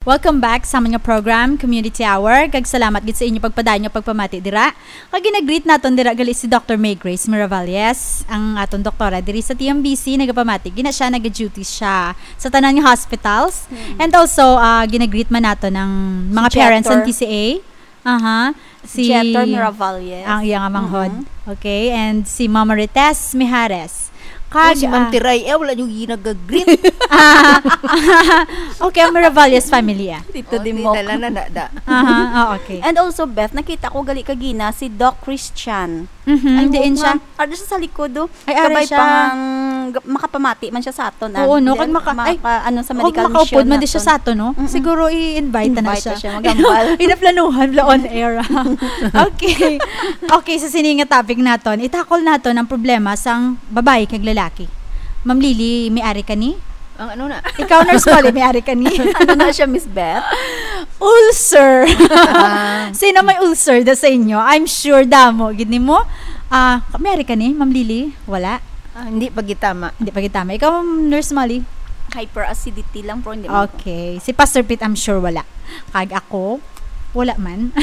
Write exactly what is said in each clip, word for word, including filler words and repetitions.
Welcome back sa amon nga program, Community Hour, kag salamat gid sa inyo pagpadayon nga pagpamati dira. Kag ginagreet naton dira gali si Doctor May Grace Miravalles, ang aton doktora diri sa T M B C, nagapamati. Gina siya, nag-duty siya sa tanan nga hospitals. Mm. And also, ah, ginagreet man naton ang mga Si parents sa Jeter. T C A. Aha. Si Jeter Miravalles. Ang iyang manghod. Mhm. Okay, and si Mama Rites Mijares. Oh, kag, si Ma'am ah, Tiray, eh, wala niyo ginagagreet. Ah, okay, ang Miravalles family, ah. Tito Oh, Dimok. Tita Lana, da, da. Aha, oh, okay. And also, Beth, nakita ko gali kagina si Doc Christian. Mhm, Ay, diin siya? Nga, ano siya sa likod, oh? Ay, ari Kabay siya. Pang, makapamati man siya sa aton, ah. Oo, no? Then, Kag maka-, ay, maka-, ano, sa kag medical makaupod mission man di siya naton. Sa aton, no? Mm-mm. Siguro i-invite na na Invite siya. na siya, maghambal. Inaplanuhan, bla on air, ah. Okay. Okay, sa sini nga topic naton, itakol naton ang problema sang babayi kag lalaki. Ma'am Lily, may ari ka ni? Ang ano na? Ikaw, Nurse Molly, may ari ka ni? Ano na siya, Miss Beth? Ulcer. Ah. Sino may ulcer da sa inyo? I'm sure damo gid nimo. Ah, may ari ka ni, Ma'am Lily? Wala? Ah, hindi pa gitama. Hindi pa gitama. Ikaw, Nurse Molly? Hyperacidity lang, pero hindi man ko. Okay. Si Pastor Pete, I'm sure wala. Kag ako, wala man.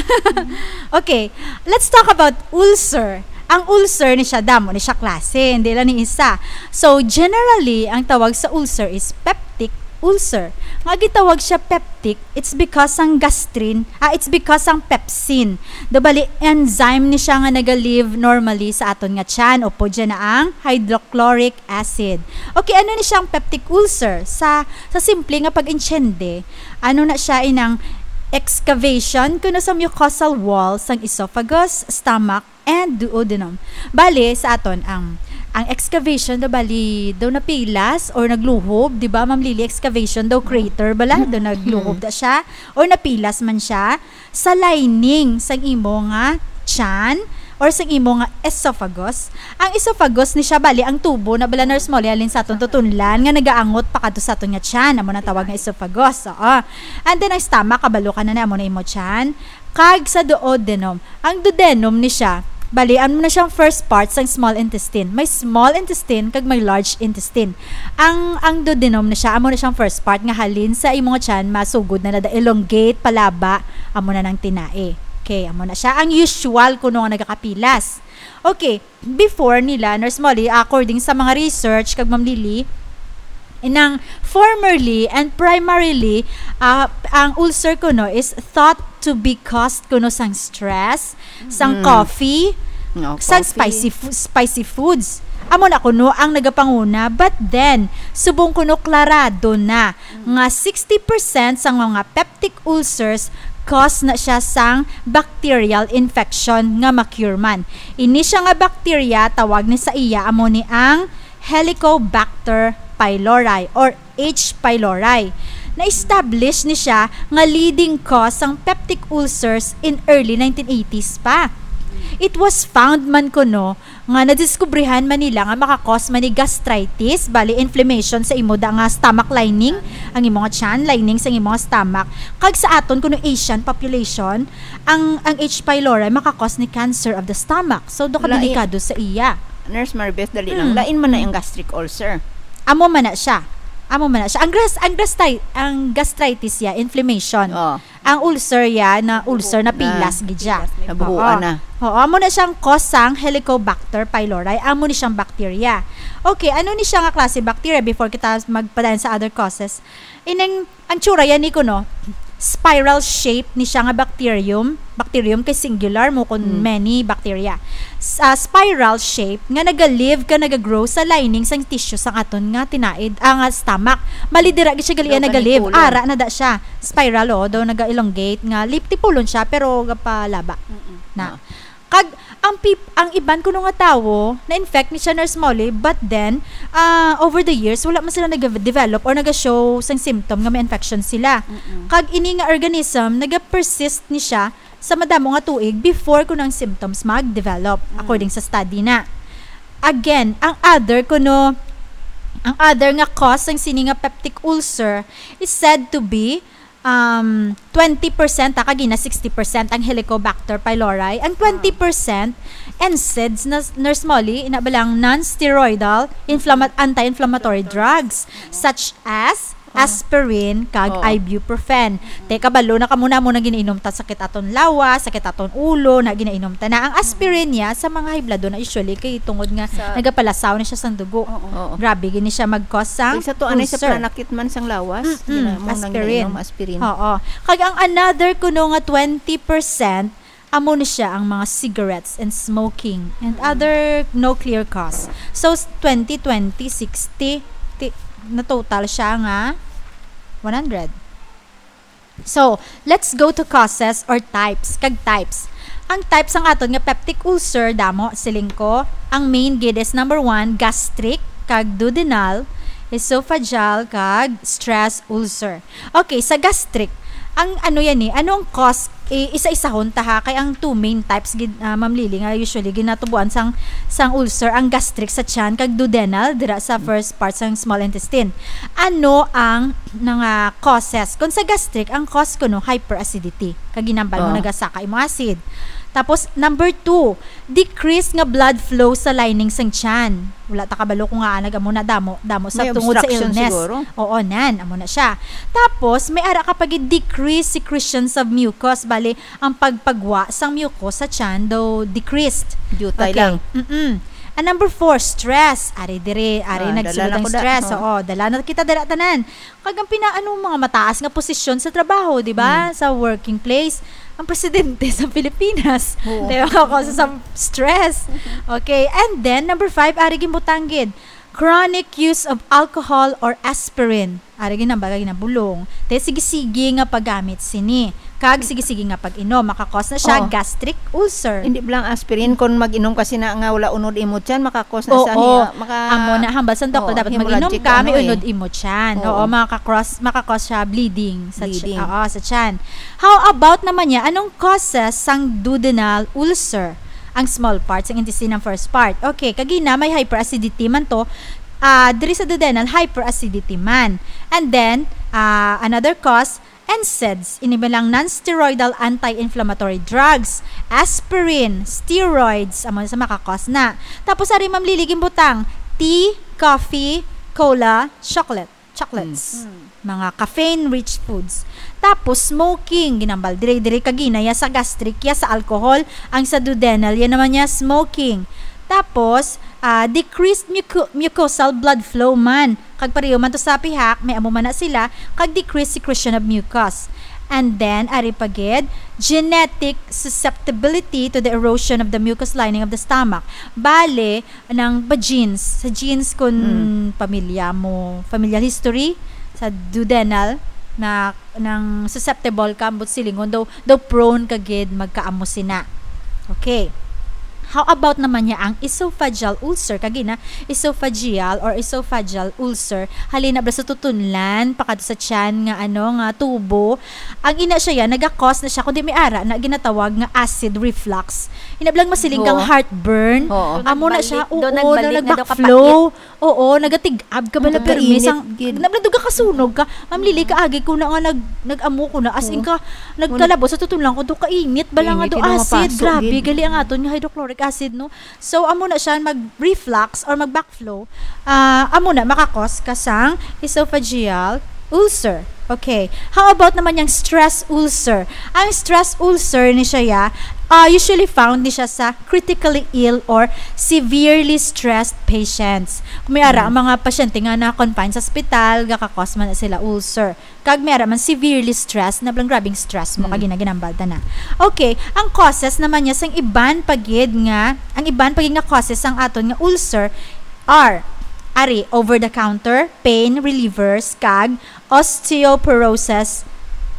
Okay, let's talk about ulcer. Ang ulcer ni siya, damo ni siya klase, hindi lang ni isa. So, generally, ang tawag sa ulcer is peptic ulcer. Nga gitawag siya peptic, it's because ang gastrin, ah, it's because ang pepsin. Do bali, enzyme ni siya nga naga-live normally sa aton nga tiyan, o pwede na ang hydrochloric acid. Okay, ano ni siya ang peptic ulcer? Sa, sa simple nga pag-intiende, ano na siya, inang excavation kuno sa mucosal wall sang esophagus, stomach, and duodenum. Bali, sa aton, ang, ang excavation daw, bali, daw napilas or nagluhob, di ba, Ma'am Lily? Excavation daw, crater bala, daw nagluhob da siya, or napilas man siya sa lining sang imo nga tiyan or sang imo nga esophagus. Ang esophagus ni siya, bali, ang tubo na bala, Nurse Molly, halin sa aton tutunlan nga nagaangot pa kadto sa aton nga tiyan, amo na tawag nga esophagus. Oo. And then, ang stomach, kabalo ka na na, amo na imo tiyan. Kag sa duodenum. Ang duodenum ni siya, bali, amo na siyang first part sang small intestine. May small intestine kag may large intestine. Ang, ang duodenum na siya, amo na siyang first part nga halin sa imo nga tiyan, masugod na na da elongate, palaba, amo na nang tinai. Okay, amo na siya. Ang usual kuno nga nagakapilas. Okay, before nila, Nurse Molly, according sa mga research kag Ma'am Lily, inang formerly and primarily, ah, ang ulcer kuno is thought to be caused kuno sang stress, sang Mm. coffee, No, sang coffee. spicy fu-, spicy foods. Amo na kuno ang nagapanguna, but then, subong kuno klarado na nga sixty percent sang mga peptic ulcers cause na siya sang bacterial infection nga ma-cure man. Ini siya nga bacteria, tawag ni sa iya amo ni ang Helicobacter pylori or H. pylori. Na-establish ni siya nga leading cause sang peptic ulcers in early nineteen eighties pa. It was found man kuno nga nadiskubrihan man nila nga maka-cause man ni gastritis, bali inflammation sa imo da nga stomach lining, ang imo nga tiyan, lining sa imo nga stomach. Kag sa aton kuno Asian population, ang, ang H. pylori maka-cause ni cancer of the stomach. So, do ka Lain. delikado sa iya. Nurse Maribeth, dali lang. Mm. Lain man na ang gastric ulcer. Amo man na siya. Amo man na siya. Ang gras-, ang gastri-, ang gastritis ya, inflammation. Oh. Ang ulcer ya, na ulcer na Na pilas gid siya. pilas, may Nabuhuan Oo. na. Oo, amo na siyang cause sang Helicobacter pylori. Amo ni siyang bacteria. Okay, ano ni siya nga klase bacteria before kita magpadayon sa other causes? Ining, ang tsura yan ni kuno, spiral shape ni siya nga bacterium. Bacterium kay singular mo kun Mm. many bacteria. Sa spiral shape nga naga-live ka, naga-grow sa lining sang tissue sang aton nga tinaid, ah, nga stomach. Mali dira gid siya gali Daw naga-live. ganipulon. Ara na da siya. Spiral, oh, daw naga-elongate nga lip-, tipulon siya pero gapalaba. Mm-mm. Na. Ah. Kag ang peop-, ang iban kuno nga tawo na-infect ni siya, Nurse Molly, but then, ah, over the years, wala man sila nag-develop or naga-show sang symptom nga may infection sila. Mm-mm. Kag ini nga organism, naga-persist ni siya sa madamo nga tuig before kuno ang symptoms mag-develop, Mm. according sa study na. Again, ang other kuno, ang other nga cause sang sini nga peptic ulcer is said to be, um, twenty percent, ah, kag ina sixty percent ang Helicobacter pylori. Ang Ah. twenty percent, NSAIDs na, Nurse Molly, ina ba lang non-steroidal inflama-, anti-inflammatory drugs, such as aspirin, kag Oo. ibuprofen. Te, kabalo na kamo na mo na ginainom ta, sakit aton lawas, sakit aton ulo, na ginainom ta na. Ang aspirin niya, sa mga high blood na usually, kay tungod nga Sa nagapalasaw na siya sang dugo. Oo. Oo. Grabe, gini siya mag-cause sang Kay sa to, anay sa ulcer. Pananakit man sang lawas, Mm-mm, gina-, mo nang aspirin. Nainom, aspirin. Oo. Kag ang another kuno nga twenty percent, amo na siya ang mga cigarettes and smoking and Mm. other no clear cause. So, s-, twenty, twenty, sixty, ti-, na total siya nga one hundred. So, let's go to causes or types. Kag types. Ang types ang aton nga peptic ulcer, damo, siling ko, ang main gid is number one, gastric, kag duodenal, esophageal, kag stress ulcer. Okay, sa gastric, ang ano yan eh, ano ang cause, eh, isa-isahon ta ha, kay ang two main types gid, ah, Ma'am Lily, nga usually ginatubuan sang, sang ulcer, ang gastric sa tiyan, kag duodenal, dira sa first part sang small intestine. Ano ang mga causes? Kung sa gastric, ang cause kuno hyperacidity. Kag ginambal mo Ah. nagasaka imo acid. Tapos, number two, decrease nga blood flow sa lining sang tiyan. Wala ta kabalo kung nga nag-amo na damo, damo sa May tungod sa obstruction illness. Siguro. Oo, nan, amo na siya. Tapos, may ara ka pa gid decrease secretions of mucus. Bali, ang pagpagwa sang mucus sa tiyan daw decreased. Diutay Okay. lang. Mm-mm. And number four, stress. Ari dire, ari Ah, dala nagsugod na ang ko da-, stress. Oo. Oo, dala na kita dala tanan. Kag ang pinaano mga mataas nga posisyon sa trabaho, di ba? Mm. Sa working place, ang presidente sa Pilipinas. Oo. Di ba? Cause sa stress. Okay. And then, number five, ari ginbutang gid. Chronic use of alcohol or aspirin. Ari ginambal kag ginabulong. Te, sige-sige nga paggamit sini. Kag sige-sige nga pag-inom. Maka-cause na siya Oo. gastric ulcer. Hindi ba lang aspirin, kung mag-inom ka sina nga wala unod imo tiyan, maka-cause na Oo. sa niya, maka-, Amo na, hambal sa doktor, Oo, dapat hemorrhagic mag-inom ka, ano may eh. unod imo tiyan. Oo. Oo, makaka-cross, maka-cause siya bleeding sa ti-, Bleeding. oo, sa tiyan. How about naman niya, anong causes sang duodenal ulcer? Ang small part, sang intestine, ang first part. Okay, kagina, may hyperacidity man to. Ah, diri sa duodenal, hyperacidity man. And then, ah, another cause, NSAIDs, ini bilang non-steroidal anti-inflammatory drugs, aspirin, steroids, amo sa maka-cause na. Tapos, ari, Ma'am Lily, ginbutang, tea, coffee, cola, chocolate, chocolates. Mm. Mga caffeine-rich foods. Tapos, smoking, ginambal, dire-dire kagina, ya sa gastric, ya sa alcohol, ang sa duodenal, yan naman niya, smoking. Tapos, ah, decreased muco-, mucosal blood flow man. Kag pareho man to sa pihak, may amo man na sila, kag decreased secretion of mucus. And then, ari pa gid, genetic susceptibility to the erosion of the mucous lining of the stomach. Bale, nang pa genes, sa genes kun Mm. pamilya mo, familial history, sa duodenal, na nang susceptible ka, ambot silingon, daw, daw prone ka gid magkaamo sina. Okay. How about naman niya ang esophageal ulcer? Kagina, esophageal or esophageal ulcer, halin na bala sa tutunlan, pakadto sa tiyan nga, ano, nga tubo. Ang ina siya yan, naga-cause na siya, kundi may ara na ginatawag nga acid reflux. Ina bala ang masiling kang Oo. heartburn. Oo. Amo na siya, Nagbalik, oo, daw nagbalik na daw nag-backflow. Oo, nagatig-ab ka bala, Ang permi kainit sang, gid. Nabla, duga ka sunog ka. Ma'am Lily, kaagi ko na nga nag-, nag-amo ko na. As in Oo. ka, nagkalabo sa tutunlan ko, do kainit, bala nga Kainit, do yun ang acid. Mapaso Grabe, gid. Gali ang aton nga hydrochloric acid, no? So, amo na siya, mag-reflux or mag-backflow. Ah, amo na, makakos ka sang esophageal ulcer. Okay. How about naman yung stress ulcer? Ang stress ulcer ni siya, ya, ah, usually found ni siya sa critically ill or severely stressed patients. Kung may ara, Mm. ang mga pasyente nga na-confine sa ospital, gakakos man na sila ulcer. Kag may ara man severely stressed, na blang grabing stress mo, Mm. kag ginaginambal ta na. Okay, ang causes naman niya sang iban pa gid nga, ang iban pa gid nga causes sang aton nga ulcer are, ari, over-the-counter pain relievers, kag osteoporosis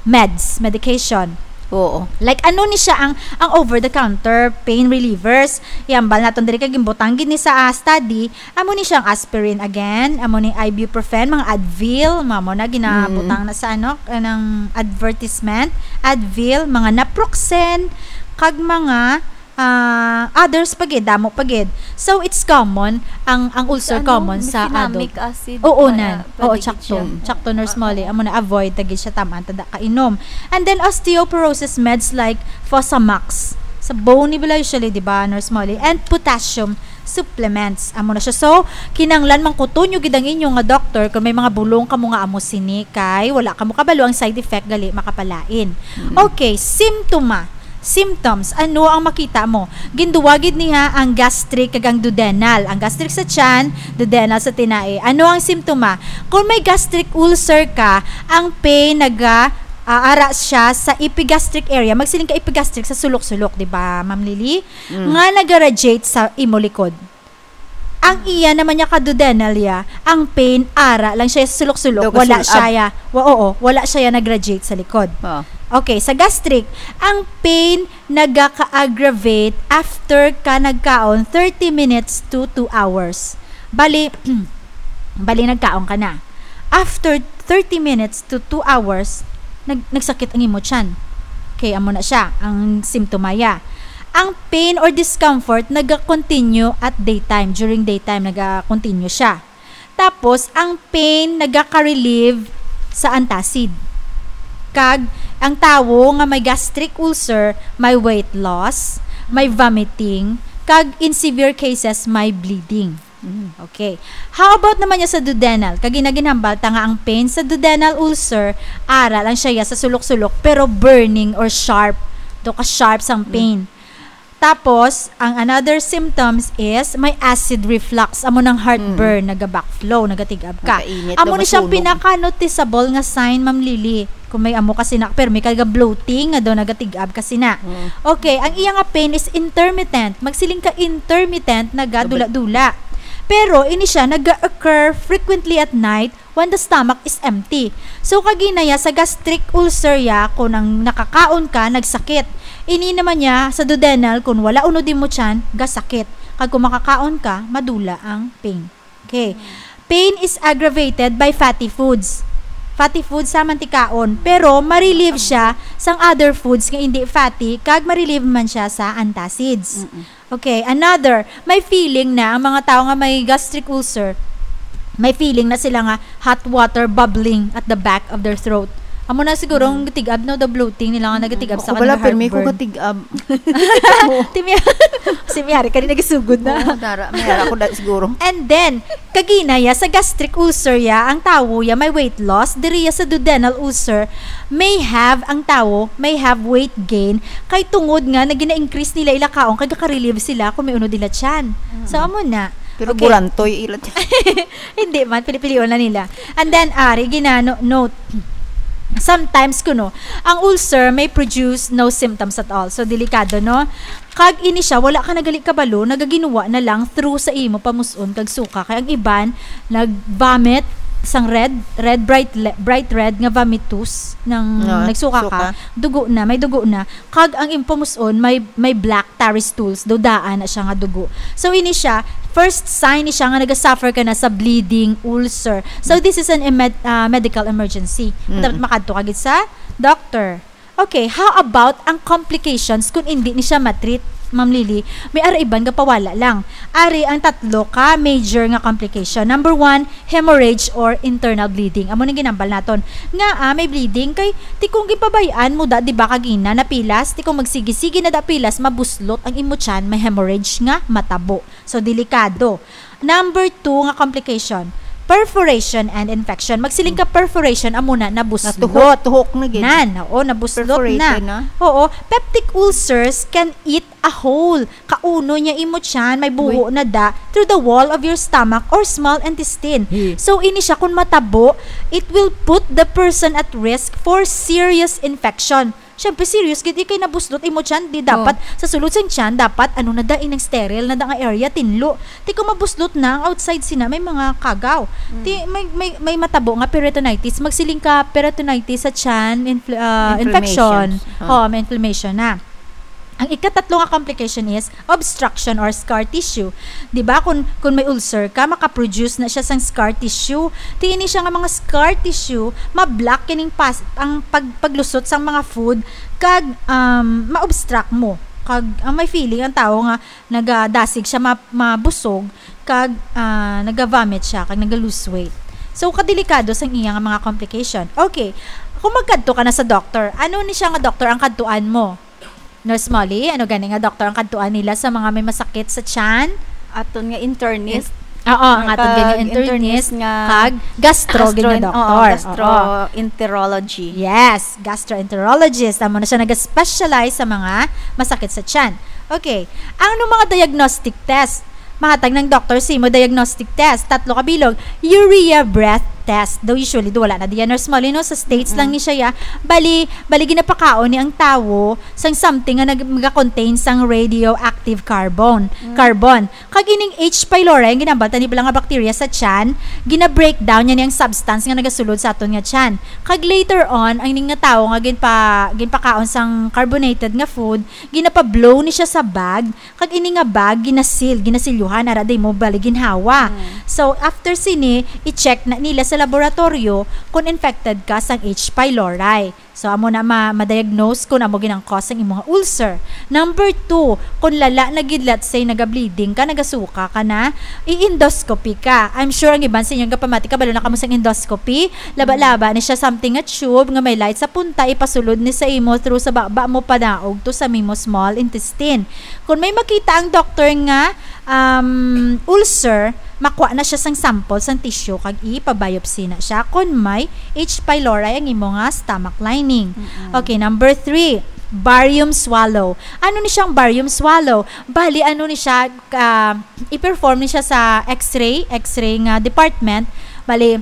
meds, medication. Oo. Like, ano ni siya ang, ang over-the-counter pain relievers? Yambal naton diri kay ginbutang gid ni sa, ah, study, amo ni siya ang aspirin again, amo ni ibuprofen, mga Advil, mga mo na ginabutang Mm. na sa, ano, kanang advertisement, Advil, mga naproxen, kag mga ah, others pa gid, damo pa gid. So, it's common, ang, ang ulcer Sa ano, common sa mefenamic adult. Acid Oo, para nan. Oo, pwede gid tsakto. Siya. Tsakto, Nurse Ah, Molly. oo. Amo na, avoid ta gid siya, taman ta da kainom. And then, osteoporosis meds like Fosamax. Sa bone ni bala usually, di ba, Nurse Molly? And potassium Supplements. Amo na siya. So, kinahanglan mangkuton nyo gid ang inyo nga doktor kung may mga bulong kamo nga amo sini, kay wala kamo kabalo ang side effect, gali makapalain. Mm. Okay, simptoma. Symptoms. Ano ang makita mo? Ginduwa gid niya ang gastric kag ang duodenal. Ang gastric sa tiyan, duodenal sa tinai. Ano ang simptoma? Kung may gastric ulcer ka, ang pain naga, ah, ara siya sa epigastric area. Magsiling ka epigastric sa sulok-sulok, di ba, Ma'am Lily? Mm. Nga naga-radiate sa imo likod. Ang iya naman niya ka duodenal ya, ang pain ara lang siya sa sulok-sulok, Daw wala kasul-, siya ab- ya, wa-, oo, wala siya ya nag-radiate sa likod. Oh. Okay, sa gastric, ang pain nagaka-aggravate after ka nagkaon thirty minutes to two hours. Bali, bali nagkaon ka na. After thirty minutes to two hours, nag-, nagsakit ang imo tiyan. Okay, amo na siya, ang simptoma ya. Ang pain or discomfort naga-continue at daytime, during daytime, naga-continue siya. Tapos, ang pain nagaka-relieve sa antacid. Kag, ang tawo nga may gastric ulcer, may weight loss, may vomiting, kag in severe cases, may bleeding. Mm. Okay. How about naman niya sa duodenal? Kag ginaginhambal ta nga ang pain sa duodenal ulcer, ara lang siya ya sa sulok-sulok, pero burning or sharp. Do ka sharp sang Mm. pain. Tapos, ang another symptoms is may acid reflux, amo nang heartburn, Mm. naga-backflow, nagatig-ab ka. Makainit Amo daw ni siyang masunog. pinaka-noticeable nga sign, Ma'am Lily. Kung may amo kasi na, pero may kaga bloating nga daw nagatig-ab kasi na. Mm. Okay, ang iya nga pain is intermittent. Magsiling ka intermittent, nagadula-dula. Pero ini siya naga-occur frequently at night when the stomach is empty. So, kagina ya sa gastric ulcer ya, kung ang nakakaon ka, nagsakit. Ini naman ya sa duodenal, kung wala unod imo tiyan, gasakit. Kag kung makakaon ka, madula ang pain. Okay. Pain is aggravated by fatty foods. Fatty foods sa mantikaon, pero ma-relieve siya sang other foods nga hindi fatty, kag ma-relieve man siya sa antacids. Mm-mm. Okay, another, may feeling na ang mga tao nga may gastric ulcer, may feeling na sila nga hot water bubbling at the back of their throat. Amo na siguro ang Mm. gatig-ab, no, the bloating nila nga nagatig-ab sa Ako kanila bala, pirmi ko heartburn. gatig-ab. Timi-, si Miyari, kanina gisugod na. Oo, dara, may ara ko da, siguro. And then, kagina ya, sa gastric ulcer ya, ang tawo ya may weight loss, diri ya sa duodenal ulcer, may have, ang tawo may have weight gain, kay tungod nga nagina-increase nila ila kaon, kay gaka-relieve sila kung may unod ila tiyan. Mm. So, amo na. Pero Okay. burantoy ila tiyan. Hindi man, pili-pilion na nila. And then, ari, ginano, note, sometimes kuno, ang ulcer may produce no symptoms at all. So, delikado, no? Kag ini siya, wala ka na gali kabalo, nagaginuwa na lang through sa imo pamus-on kag suka. Kay ang iban, nag-vomit, sang red, red, bright le-, bright red nga vomitus, nang No, nagsuka ka, suka. dugo na, may dugo na. Kag ang imo pamus-on, may, may black tarry stools, daw daan na siya nga dugo. So, ini siya, first sign ni siya nga naga-suffer ka na sa bleeding ulcer. So, this is an emed-, ah, medical emergency. Mm. Dapat makadto ka gid sa doctor. Okay, how about ang complications kung hindi ni siya matreat, Ma'am Lily? May ara iban nga pawala lang. Ari ang tatlo ka major nga complication. Number one, hemorrhage or internal bleeding. Amo nang ginambal naton. Nga, ah, may bleeding kay ti kung ginpabay-an mo da, di ba, kagina, napilas, ti kung magsigi-sige na da pilas, mabuslot ang imo tiyan, may hemorrhage nga matabo. So, delikado. Number two nga complication, perforation and infection. Magsiling ka perforation, amo na, nabuslot. Natuhok, tuhok na gid. Nan, oo, nabuslot Perforated na. na. Oo, peptic ulcers can eat a hole. Kauno niya imo tiyan, may buho Uy. na da through the wall of your stomach or small intestine. Hi. So, ini siya, kung matabo, it will put the person at risk for serious infection. Siyempre, serious gid, ikay nabuslot imo tiyan, di Oh. dapat sa sulod sang tiyan, dapat ano na da, inang sterile na da nga area, tinlo. Ti kung mabuslot na ang outside sina, may mga kagaw. Mm. Ti may, may, may matabo nga peritonitis, magsiling ka peritonitis sa tiyan, infl-, ah, infection. Inflammations. Ah. Oo, may inflammation na. Ang ikatatlo nga complication is obstruction or scar tissue. Di ba, kung, kung may ulcer ka, makaproduce na siya sang scar tissue. Ti ini siya nga mga scar tissue, ma-block kining pas-, ang pag-, paglusot sang mga food, kag, um, ma-obstruct mo. Kag, ang may feeling ang tao nga nagadasig siya ma-, mabusog, kag, ah, naga-vomit siya, kag naga-lose weight. So, kadelikado sang iya nga mga complication. Okay, kung magkadto ka na sa doktor, ano ni siya nga doktor ang kadtuan mo? Nurse Molly, ano gani nga doktor ang kadtuan nila sa mga may masakit sa tiyan? Aton nga internist. Oo, ang aton nga Kag internist, internist nga kag gastro, gid nga gastro-, doktor. oh, Oo. Gastroenterology. Yes, gastroenterologist. Amo na siya nag-specialize sa mga masakit sa tiyan. Okay. Ano mga diagnostic test? Mahatag ng doktor sa imo diagnostic test. Tatlo ka bilog. Urea breath test. Though usually, do wala na diyan, Nurse Molly, no? Sa States lang ni siya, ya. Bali, bali ginapakaon ni ang tawo sang something nga nag-, nag-contain sang radioactive carbon. Carbon. Kag ining H. pylori, ang ginambal tani bala nga bacteria sa tiyan, gina-breakdown niya ni ang substance nga nagasulod sa aton nga tiyan. Kag later on, ang ining nga tawo nga ginpa-, ginpakaon sang carbonated nga food, ginapa-blow ni siya sa bag, kag ini nga bag ginasil, ginasilyuhan, ara di mo bali ginhawa. So, after sini, i-check na nila sa laboratorio kung infected ka sang H. pylori. So, amo na ma-, ma-diagnose kung amo gid ang cause sang imong ulcer. Number two, kung lala na gid, let's say, naga-bleeding ka, nagasuka ka na, i-endoscopy ka. I'm sure ang iban sa inyo gapamati, kabalo na kamo sang endoscopy. Laba-laba ni siya, something nga tube nga may light sa punta, ipasulod ni sa imo through sa baba mo panaog to sa imo small intestine. Kung may makita ang doctor nga, um, ulcer, makuha na siya sang sample sang tissue kag ipa-biopsy na siya kung may H. pylori ang imo nga stomach lining. Okay, number three, barium swallow. Ano ni siyang barium swallow? Bali, ano ni siya, ah, i-perform ni siya sa X-ray, X-ray nga department. Bali,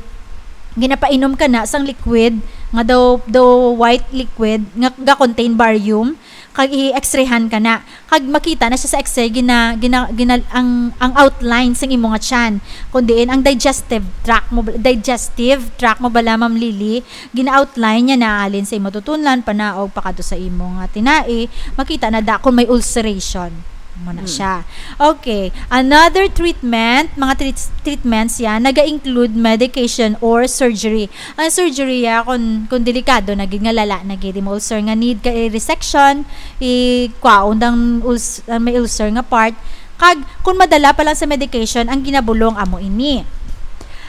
ginapainom ka na sang liquid nga daw, daw white liquid nga ga-contain barium, kag i-X-rayhan ka na. Kag makita na siya sa X-ray, gina-, gina-, gina-, ang, ang outline sang imo nga tiyan. Kung diin ang digestive tract mo, digestive tract mo bala, Ma'am Lily, gina-outline niya na halin sa imo tutunlan, panaog, pakadto sa imo nga tinai, makita na da kung may ulceration. Mo na siya. Okay. Another treatment, mga treats-, treatments yan, naga-include medication or surgery. Ang surgery, ah, kung, kung delikado na gid, nga lala na gid, imo ulcer nga need ka i-resection, i-kwaon ang uls-, ang may ulcer nga part. Kag kung madala pa lang sa medication, ang ginabulong amo ini.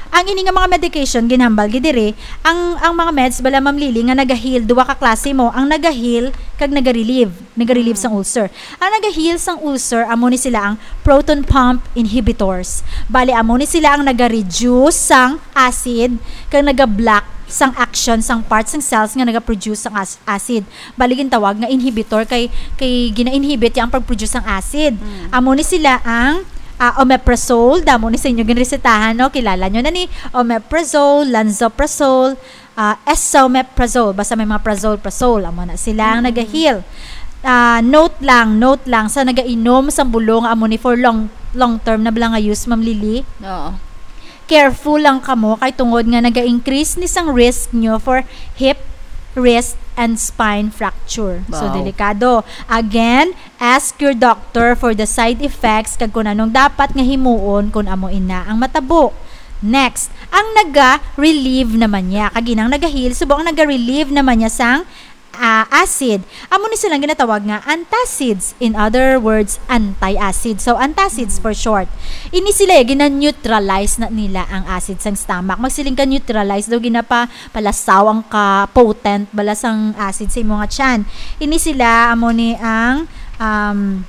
Ang ini nga mga medication, ginhambal gid diri, ang, ang mga meds bala, Ma'am Lily, nga naga-heal, duwa ka klase mo, ang naga-heal kag naga-relieve, naga-relieve sang ulcer. Ang naga-heal sang ulcer, amo ni sila ang proton pump inhibitors. Bali, amo ni sila ang naga-reduce sang acid kag naga-block sang action sang parts sang cells nga naga-produce sang as-, acid. Bali, gintawag nga inhibitor kay, kay gina-inhibit ya ang pag-produce sang acid. Amo ni sila ang, ah, omeprazole, damo ni sa inyo ginresetahan, no? Kilala nyo na ni omeprazole, lansoprazole, ah, esomeprazole, basta may mga prazole, prazole, amo na sila ang naga-heal. Ah, note lang, note lang, sa nagainom sang bulong, amo ni for long, long term na bala nga use, Ma'am Lily. Oo. Careful lang kamo kay tungod nga naga-increase ni sang risk nyo for hip, wrist, and spine fracture. So, Wow. Delikado. Again, ask your doctor for the side effects kag kung anong dapat nga himuon kung amo ina ang matabo. Next, ang naga-relieve naman niya. Kag inang naga-heal, subong ang naga-relieve naman niya sang, ah, acid. Amo ni silang ginatawag nga antacids. In other words, anti-acid. So, antacids for short. Ini sila, eh, gina-neutralize na nila ang acid sang stomach. Magsiling ka neutralize daw, ginapa-, palasaw ang ka-potent bala sang acid sa imo nga tiyan. Ini sila, amo ni ang, um,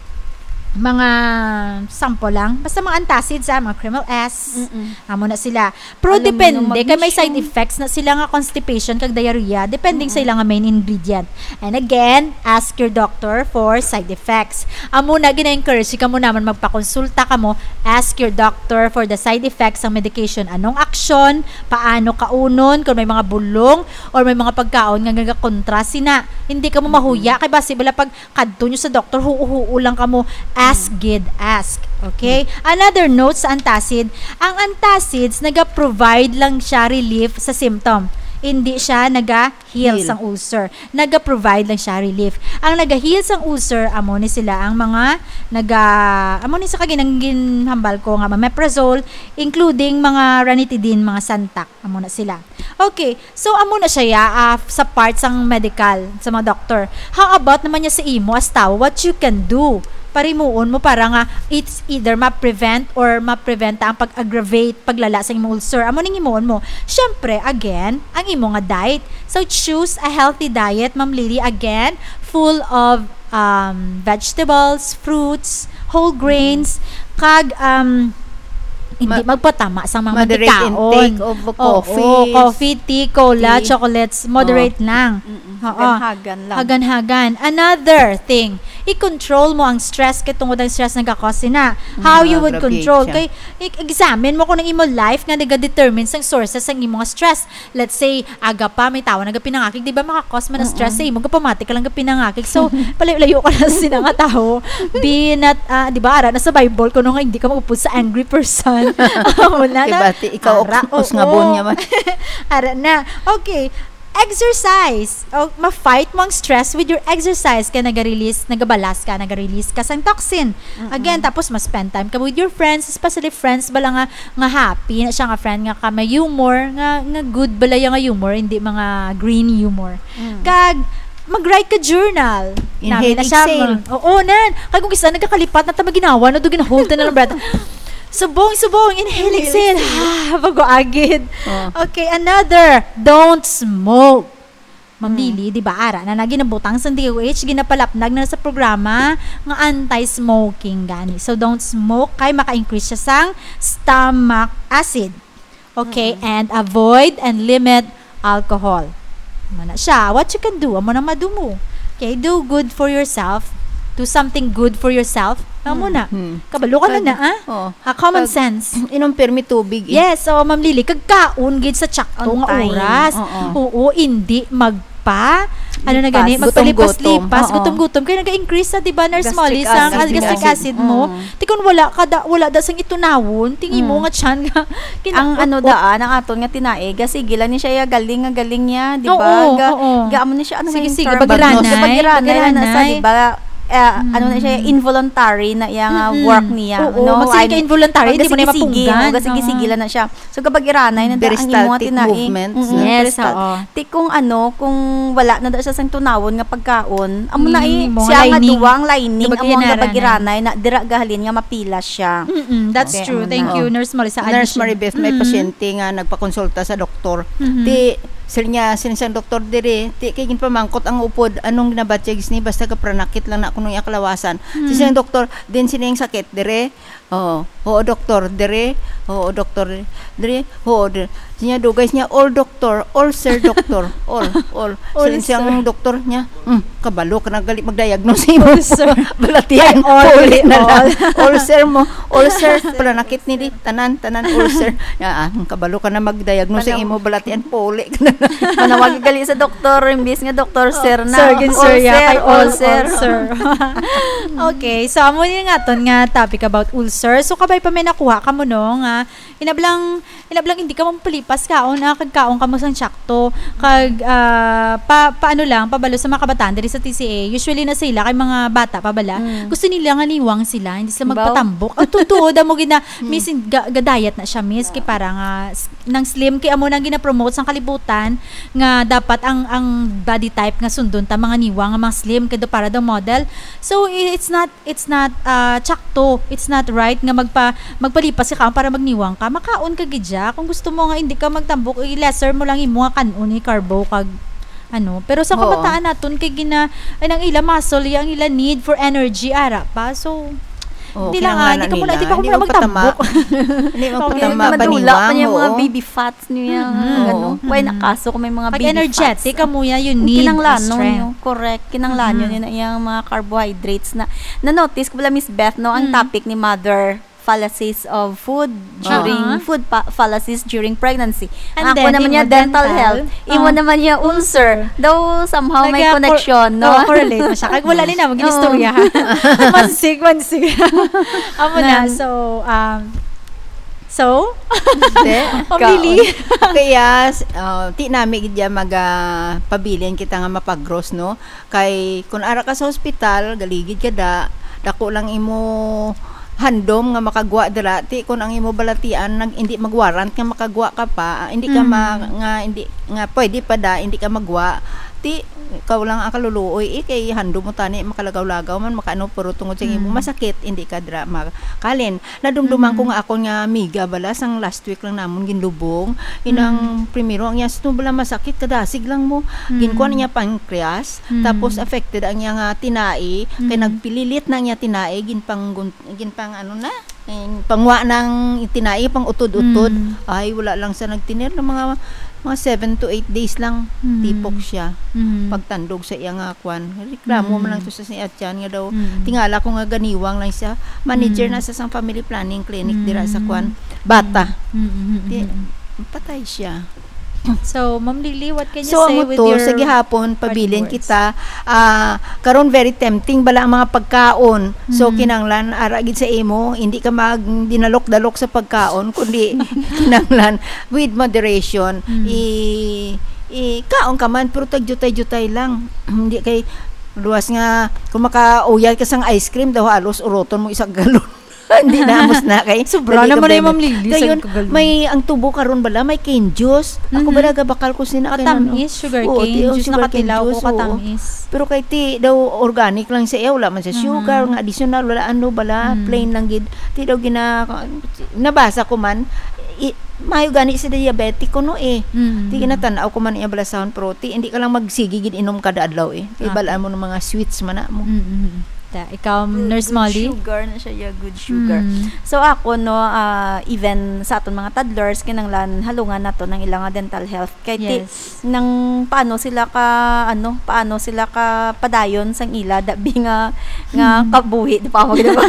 mga sample lang. Basta mga antacids, ah, mga Kremyl S. Amo na sila. Pero Aluminum, depende, kay may side magnesium. Effects na sila nga constipation kag diarrhea, depending sa ila nga main ingredient. And again, ask your doctor for side effects. Amo na, gina-encourage kamo naman magpakonsulta kamo, ask your doctor for the side effects sang medication. Anong aksyon, paano kaunon, kung may mga bulong or may mga pagkaon nga nagakontra sina. Hindi kamo mahuya, kay basi bala pag kadto nyo sa doktor, huo-huo lang kamo. Ask gid, ask. Okay? Another note sa antacid, ang antacids naga-provide lang siya relief sa symptom. Hindi siya naga-heal Heal. sang ulcer. Naga-provide lang siya relief. Ang naga-heal sang ulcer, amo ni sila ang mga naga, amo ni sa kaginang ginhambal ko nga omeprazole, including mga ranitidine, mga Santac. Amo na sila. Okay, so amo na siya, ya, ah, sa part sang medical, sa mga doctor. How about naman niya sa imo as tawo? What you can do? Parimuon mo para nga it's either ma-prevent or ma-prevent ang pag-aggravate, paglala sa imong ulcer. Amo ning himuon mo. Syempre, again, ang imo nga diet. So, choose a healthy diet, Ma'am Lily. Again, full of, um, vegetables, fruits, whole grains, kag, um, hindi Ma-, magpatama sa mga moderate mantikaon. Intake of Oo, coffee, coffee, tea, cola, tea. Chocolates, moderate Oh. lang. Mm-mm. Oo. Hagan-hagan lang. Hagan-hagan. Another thing, i-control mo ang stress, kay tungod ang stress nagakos sina. How you would control? Nag-aggravate siya. Kay, i-, examine mo kung ang imo life nga nagadetermine sang sources sang imo nga stress. Let's say, aga pa, may tawo nagapinangakig, di ba, makakos man ang stress Mm-mm. sa imo, gapamati ka lang gapinangakig. So, palayo-layo ka na sa sina nga tawo. Be not, ah, di ba, ara na sa Bible, kuno nga hindi ka mag-upod sa angry person. Amo na na. Diba, ti-, ikaw, Ara, us-, usngabon oo. Niya man. Ara na. Okay. Exercise. O, ma-fight mo ang stress with your exercise. Kaya nag-release, nagabalas ka, nag-release ka sang toxin. Mm-mm. Again, tapos mas spend time ka with your friends, especially friends bala nga, nga happy na siya, nga friend nga ka may humor, nga, nga good bala yung nga humor, hindi mga green humor. Mm. Kag, mag-write ka journal. Inhale, Nami na siya, exhale. Ma-, oo, nan. Kag kung isa nagkakalipat na ta maginawa, no, do gina-hold na lang breath. Subong, subong, inhale, Inhale, exhale. exhale. Ah, bago agid. Oh. Okay, another. Don't smoke. Ma'am Hmm. Lily, di ba, ara na, na ginabutang sa D O H, ginapalapnag na sa programa nga anti-smoking gani. So, don't smoke kay maka-increase siya sang stomach acid. Okay? Mm-mm. And avoid and limit alcohol. Amo na siya. What you can do, amo na madumo. Okay? Do good for yourself. Do something good for yourself. Amo Hmm. na. Hmm. Kabalo ka na Kag-, na, ah? Oo. Ha, common Kag-, sense. Inom pirmi tubig, eh. Yes, oo, Ma'am Lily. Kag kaon gid sa tsakto On nga time. oras. Oo. Oo, hindi magpa-, ano na gani, Lipas. magpalipas-lipas, Gutom-gutom. Oo. gutom-gutom. Kaya nag-increase sa, di ba, Nurse Gastric Molly, sa acid. gastric acid mo. Mm. Ti kun wala ka da, wala da sang itunawon, ti imo Mm. nga tiyan nga Ang ano kinaot-ot. daan, ang aton nga tinaig, sige lang ni siya, ya, galing nga galing niya, di ba? Oo, Ga-, oo. ga-, amo ni siya, ano nga Sige, yung sige, term? bagiranay, Bagiranay, ano sa, bagiranay. di ba? Eh, ano na siya, Mm. involuntary na iya nga Mm-mm. work niya, Oo, no? magsigeg Ay, ka involuntary, hindi mo na magsige-sige, mapunggan. o, sige-sige Oo. lang na siya. So, kapag iranay na da ang imo Peristaltic tinaig. movements, Mm-mm, no? Yes, peristal-, oo. Ti kung ano, kung wala na da siya sang tunawon nga pagkaon, amo na Mm, eh, mga siya nga lining. duwang lining, Kapag amo ang iranay. kapag iranay na dira gahalin nga mapilas siya. Mm-mm, that's Okay, true. amo Thank na. you, Oh. Nurse Marisa. Nurse Addition. Maribeth, may Mm. pasyente nga nagpakonsulta sa doktor. Mhm. Ti, sir niya, siling sang doktor diri, ti, kay ginpamangkot ang upod, anong ginabatyag ni, basta gapranakit lang na kuno iya kalawasan. Ti, Mm. siling doktor, din sini ang sakit diri? Oo. Oo, doktor, diri? Oo, doktor, diri? Oo, diri. Siya, dugay niya, all doctor, all sir doctor, all, all. All Siling sang sir. doktor niya, "Hmm, kabalo ka na gali mag-diagnose sa imo." All sir. Balatian, Ay, all, pauli na lang. all. All sir mo, all sir, All sir. pananakit ni di, tanan, tanan, all sir. Ah, ah, "Hmm, kabalo ka na mag-diagnose sa Tanaw. imo, balatian, pauli ka na lang." Manawag gali sa doktor, imbis nga doktor, Oh, sir na. sir, gin-sir All ya, sir, kay all, all sir. all sir. Okay, so amo ni nga aton nga topic about ulcer. So, kabay pa may nakuha kamo, no, nga inablang, inablang hindi ka mapalipas kaon, ah, kag kaon kamo sang tsakto. Kag, ah, pa, paano lang, pabalo sa mga kabataan diri sa T C A. Usually na sila kay mga bata pa bala. Mm. Gusto nila nga niwang sila, hindi sila Baw. magpatambok. Ang totoo, damo gid na, Mm. miss, ga-, ga-diet na siya, miss, kay para nga s-, nang slim, kay amo nang gina-promote sang kalibutan nga dapat ang, ang body type nga sundon ta mga niwang nga mga slim, kay do para daw model. So, i-, it's not, it's not, ah, tsakto, it's not right nga magpa-, magpalipas ka kaon para magniwang ka. Makaon ka gid siya. Kung gusto mo nga hindi ka magtambok, i-lesser mo lang imo nga kan-on, i-carbo kag ano. Pero sa Oo. kabataan naton kay gina-, ay, ang ila muscle, ang ila need for energy, ara pa. So, Oo, hindi lang, kinahanglan ah, hindi ka muna, nila. hindi pa ako Hindi muna magpatama. magtambok. Hindi Okay. magpatama, Madula pa paniwang, niya mga oo. baby fats niya, Mm-hmm. ano. Oo. Why na Mm-hmm. kaso kung may mga Pag baby energetic fats? ka mo yan, you Ang need kinanglanon strength. niyo, correct. Kinanglanon Mm-hmm. niyo na iyang mga carbohydrates na. Na-notice ko pala, Miss Beth, no, ang Mm. topic ni mother, fallacies of food during, Uh-huh. food pa-, fallacies during pregnancy. And Ang ako then, naman imo niya, dental dental, health. Imo uh, naman niya, ulcer. ulcer. Daw somehow may Nagka-cor-, connection, no? oh, correlate mo siya. Kag wala ni na, mag-inistorya, Oo. ha? Mansig, mansig. Amo na, Nan- so, um, so? Hindi. Pamili. Kaon. Kaya, s-, uh, ti nami gid ya mag, ah, pabilin kita nga mapagros, no? Kay kun ara ka sa hospital, galigid ka da, dako lang imo handom nga makagwa dira, ti kun ang imo balatian nag-, hindi magwarrant nga makagwa ka pa, ah, hindi ka Mm. ma-, nga hindi, nga pwede pa da, hindi ka magwa, Ti, ikaw lang ang kaluluoy, eh, kay handom mo tani, makalagaw-lagaw man, makaano, pero tungod sa imo Mm. masakit, hindi ka dira makalin. Nadumduman ko Mhm. nga akon nga amiga bala, sang last week lang namon ginlubong. Inang Mm. primero, ang iya sito bala masakit, kadasig lang mo. Mm. Ginkuha niya pancreas, Mm. tapos affected ang iya nga tinai, kay Mhm. nagpililit na ang iya tinai, ginpanggun-, ginpang ano na, eh, pangwa ng tinai, pang utod-utod. Mm. Ay, wala lang sa nagtinir ng mga, mga seven to eight days lang, Mm. tipok siya. Mm. Pagtandog sa iya nga kwan. Reklamo man Mm. lang to sa siya tiyan nga daw, Mm. tingala ko nga ganiwang lang siya. Manager Mm. na sa sang family planning clinic dira sa kwan. Mm. Bata. Mm, mm, mm, Di, mm. patay siya. So, Ma'am Lily, what can you So, say amo with to, your sa gihapon, pabilin parting words? kita. Ah, karon, very tempting bala ang mga pagkaon. So, Mm. kinanglan, ara gid sa imo, hindi ka mag dinalok-dalok sa pagkaon, kundi kinanglan with moderation. Mm. I, i, kaon ka man, pero tagjutay-jutay lang. Hindi kay luwas nga, kung makauyay ka sang ice cream, daw halos uroton mo isa ka galon. Hindi na, amos na kay Sobra dali ka naman ay, bebe. Ma'am Lily, Dayon, sa kagalon. May ang tubo karon bala, may cane juice. Ako Mhm. bala gabakal ko sina kay Katamis, nano. Sugar Oo, cane ti, oh, juice, sugar cane nakatilaw juice, ko, oo. Katamis. Pero kay ti daw organic lang siya, eh, wala man siya Mhm. sugar, nga additional, wala ano bala, Mhm. plain lang gid. Ti daw gina-, nabasa ko man, i-, mayo gani si diabetic kuno, eh. Mhm. Ti ginatan-aw ko man iya bala sound pro, ti hindi ka lang magsigi gid inom kada adlaw, eh. Kay Okay. bal-an mo ng mga sweets man na mo. Mhm. Ta, ikaw, Good, Nurse good Molly? Sugar na siya, yeah, good sugar. Mm. So, ako, no, ah, even sa aton mga toddlers, kinahanglan halungan nato ng ilang dental health. Kay ti-, Yes. nang paano sila ka, ano, paano sila ka padayon sang ila, dabi nga, nga Mm. kabuhi, di pa mo, di ba?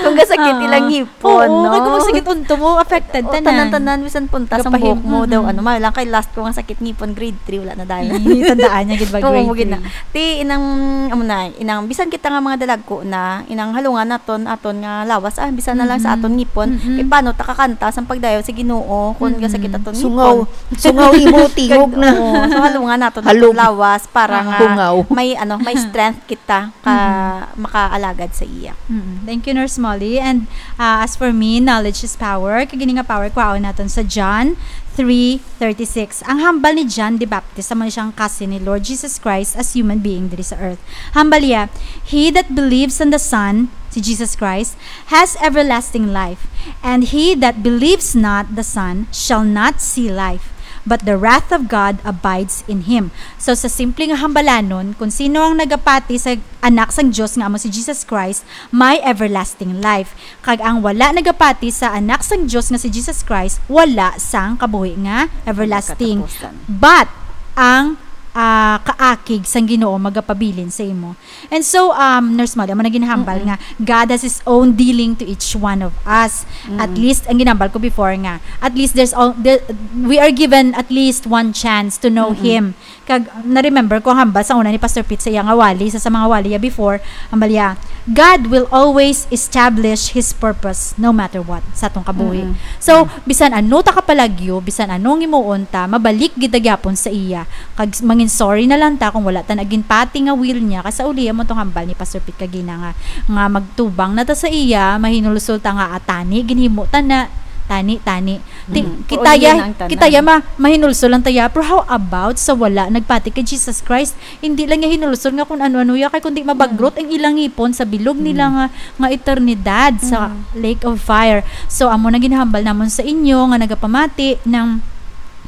Kung gasakit Ah. ilang ngipon, Oo, no? Kay kung masakit unto mo, affected Oo, tanan. Tanan-tanan, bisan punta sang Gapahim-, buhok mo, daw, mm. ano, ma-, lang kay last ko nga sakit ngipon, grade three, wala na dayon. Eh, tandaan niya gid ba, Oo, grade mo gid na. three? Ti, inang, amo na, inang, bisan kita nga mga dalagko na, inang halungan naton, aton nga lawas, ah, bisan na lang sa Mm-mm. aton ngipon, Mm-mm. kay paano ta kakanta sang pagdayaw sa Ginoo, kung Mm-mm. gasakit aton Sungaw. ngipon. Sungaw imo, tingog na. Oo, so halungan naton Halog. aton lawas para Ah. nga Hungaw. may, ano, may strength kita ka Mm-mm. makaalagad sa iya. Mm-mm. Thank you, Nurse Molly. And, ah, as for me, knowledge is power. Kag ini nga power, kwaon naton sa John three thirty-six. Ang hambal ni John the Baptist, amo ni siyang cousin ni Lord Jesus Christ as human being diri sa earth. Hambal niya, "He that believes on the Son," si Jesus Christ, "has everlasting life, and he that believes not the Son shall not see life, but the wrath of God abides in him." So, sa simple nga hambalanon, kung sino ang nagapati sa Anak sang Dios nga amo si Jesus Christ, may everlasting life. Kag ang wala nagapati sa Anak sang Dios nga si Jesus Christ, wala sang kabuhi nga everlasting. Katapusan. But ang, ah, kaakig sang Ginoo magapabilin sa imo. And so, um, Nurse Molly, amo na ginhambal Mm-mm. nga God has His own dealing to each one of us. At Mm-mm. least, ang ginambal ko before nga, at least there's all, there, we are given at least one chance to know Mm-mm. Him. Kag na-remember ko ang hambal sa una ni Pastor Pete sa iya nga wali, sa, sa mga wali ya before, hambal ya, "God will always establish His purpose no matter what sa atong kabuhi." Mm-mm. So, Mm. bisan ano ta kapalagyo, bisan ano ang himuon ta, mabalik gid ta gyapon sa iya. Kag s-, mangin sorry na lang ta kung wala ta naginpati nga will niya, kay sa uli, amo tong hambal ni Pastor Pete kagina nga, nga magtubang na ta sa iya, mahinulsol ta nga, "Ah, tani, ginhimo ta na, tani, tani." Ti-, Mm. kita Pero ya, yun ang tanan. kita ya ma-, mahinulsol lang ta ya. Pero how about sa wala nagpati kay Jesus Christ? Hindi lang niya hinulsol nga kung ano-ano ya, kay kundi mabagrot Mm. ang ilang ngipon sa bilog nila Mm. nga, nga eternidad sa Mm. lake of fire. So, amo na ginhambal namon sa inyo nga nagapamati nang,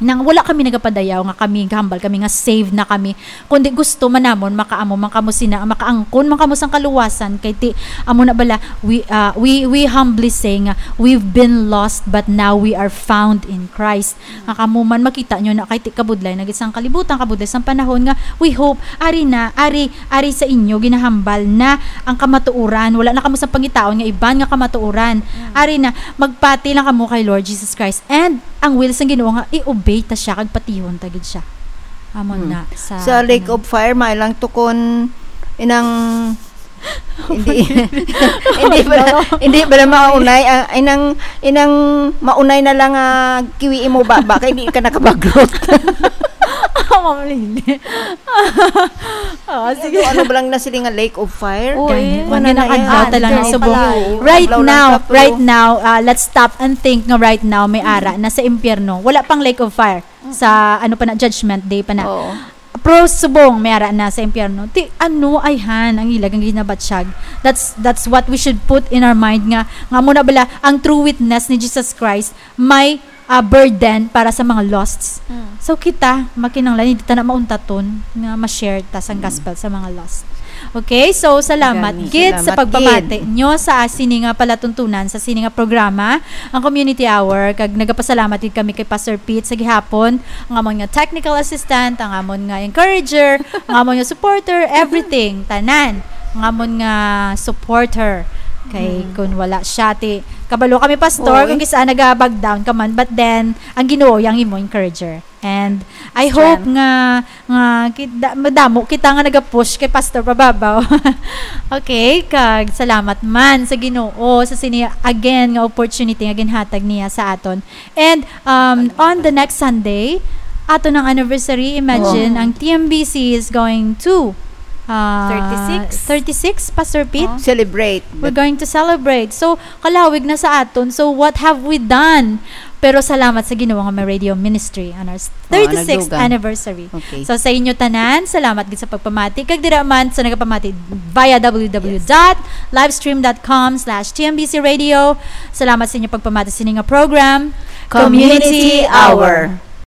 nang wala kami nagapadayaw nga kami, gahambal kami nga saved na kami. Kundi gusto man namon makaamo man kamo sina, makaangkon man kamo sang kaluwasan, kay ti, amo na bala, we, ah, we, we humbly say nga, "We've been lost, but now we are found in Christ." Nga kamo man makita nyo na kay ti kabudlay na gid sang kalibutan, kabudlay sang panahon nga, we hope, ari na, ari, ari sa inyo, ginahambal na ang kamatuoran, wala na kamo sa pangitaon nga iban nga kamatuoran. Mm. Ari na, magpati lang kamo kay Lord Jesus Christ. And ang will sang Ginoo nga i-obey ta siya kag patihon ta gid siya. Amo Hmm. na sa Sa Lake kanang of Fire, may lang tukon inang hindi, hindi pala, hindi pala maunay, ah, inang, inang maunay na lang, ah, kiwi mo ba, ba kay hindi ka nakabagrot. Ah, Ma'am Lily. Ah, sige. Ano, ano ba lang na sila nga Lake of Fire? Oo, Gani, eh. Wala na, na, adlaw ah, ta lang na adlaw subo. Pala, eh. Right Adlaw lang now, ka, pero right now, ah, let's stop and think nga right now may Mm. ara na sa impyerno. Wala pang Lake of Fire. Mm. Sa, ano pa na, Judgment Day pa na. Oo. Pero subong may ara na sa impyerno. Ti ano ayhan ang ila nga ginabatyag? That's that's what we should put in our mind nga nga mo na bala ang true witness ni Jesus Christ may ah, burden para sa mga losts. Mm. So kita makinahanglan hindi ta na mauntaton nga ma-share ta sang gospel sa mga lost. Okay? So salamat Gani. gid sa Salamat pagpamati nyo sa ah, sini nga palatuntunan sa sini nga programa, ang Community Hour, kag nagapasalamat gid kami kay Pastor Pete sa gihapon, ang amon nga technical assistant, ang amon nga encourager, ang amon nga supporter, everything, tanan, ang amon nga supporter. Kay kung wala siya, ti kabalo kami, Pastor, Oy. kung kisa nagabag down ka man, but then ang Ginoo yang imo encourager. And I Strength. Hope nga nga kit- da- madamo kita nga nagapush kay Pastor pababaw. Okay, kag salamat man sa Ginoo sa sini again nga opportunity nga ginhatag niya sa aton. And um, on the next Sunday, ato ng anniversary, imagine, Oh. ang T M B C is going to uh, Thirty-six. thirty-six, Pastor Pete? Oh. Celebrate. We're going to celebrate. So, kalawig na sa aton. So, what have we done? Pero salamat sa Ginoo nga may radio ministry on our thirty-sixth nagdugang. Anniversary. Okay. So, sa inyo tanan, salamat gid sa pagpamati. Kag dira man sa nagapamati via www.livestream.com/tmbcradio. Salamat sa inyo pagpamati sa ining nga program. Community Hour.